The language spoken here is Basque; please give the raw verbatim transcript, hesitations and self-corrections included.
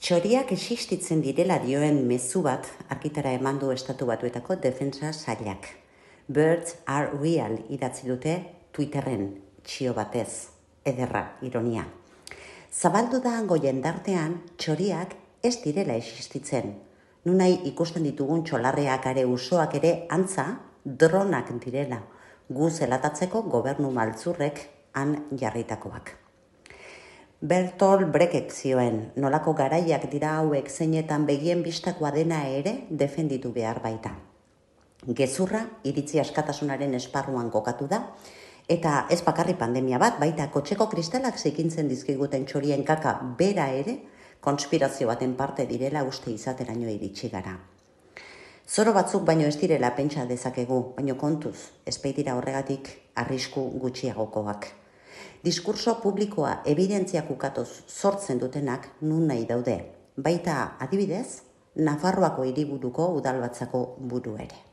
Txoriak existitzen direla dioen mezu bat argitara eman du Estatu Batuetako defentsa sailak. Birds are real idatzi dute Twitterren, txio batez, ederra, ironia. Zabaldu da hango jendartean txoriak ez direla existitzen. Nunai ikusten ditugun txolarreak are usoak ere antza dronak direla, gu zelatatzeko gobernu maltzurrek han jarritakoak. Bertolt Brecht zioen, nolako garaiak dira hauek zeinetan begien bistakoa dena ere defenditu behar baita. Gezurra iritzi askatasunaren esparruan kokatu da, eta ez bakarri pandemia bat, baita kotxeko kristalak zikintzen dizkiguten txorien kaka bera ere, konspirazio baten parte direla uste izateraino iritsi gara. Zoro batzuk baino ez direla pentsa dezakegu, baino kontuz, ez baitira horregatik arrisku gutxiagokoak. Diskurso publikoa evidentziak ukatoz sortzen dutenak nun nahi daude, baita adibidez, Nafarroako hiriburuko udalbatzako buru ere.